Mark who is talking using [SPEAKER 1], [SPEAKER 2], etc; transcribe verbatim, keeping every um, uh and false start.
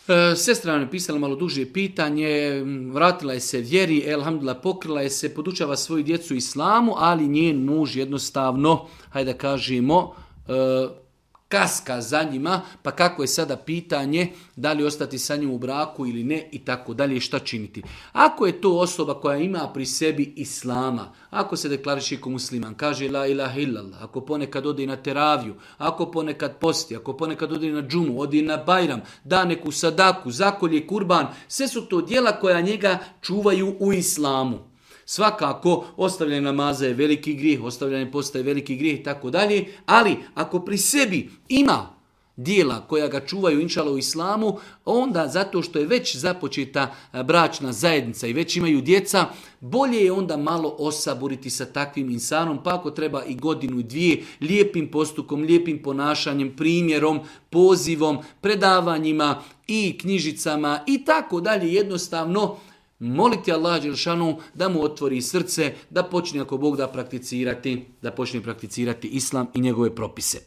[SPEAKER 1] E, sestra nam je pisala malo duže pitanje, vratila je se vjeri, elhamdulillah, pokrila je se, podučava svoju djecu islamu, ali njen muž jednostavno, hajde da kažemo, e, kaska za njima, pa kako je sada pitanje da li ostati sa njim u braku ili ne i tako dalje, šta činiti. Ako je to osoba koja ima pri sebi islama, ako se deklariše kao musliman, kaže la ilaha illallah, ako ponekad ode na teraviju, ako ponekad posti, ako ponekad ode na džumu, ode na bajram, da neku sadaku, zakolje kurban, sve su to djela koja njega čuvaju u islamu. Svakako, ostavljanje namaza je veliki grijeh, ostavljanje posta je veliki grijeh i tako dalje, ali ako pri sebi ima dijela koja ga čuvaju inšala u islamu, onda zato što je već započeta bračna zajednica i već imaju djeca, bolje je onda malo osaburiti sa takvim insanom, pa ako treba i godinu i dvije, lijepim postupkom, lijepim ponašanjem, primjerom, pozivom, predavanjima i knjižicama i tako dalje, jednostavno moliti Allah dželešanu da mu otvori srce, da počne ako Bog da prakticirati, da počne prakticirati islam i njegove propise.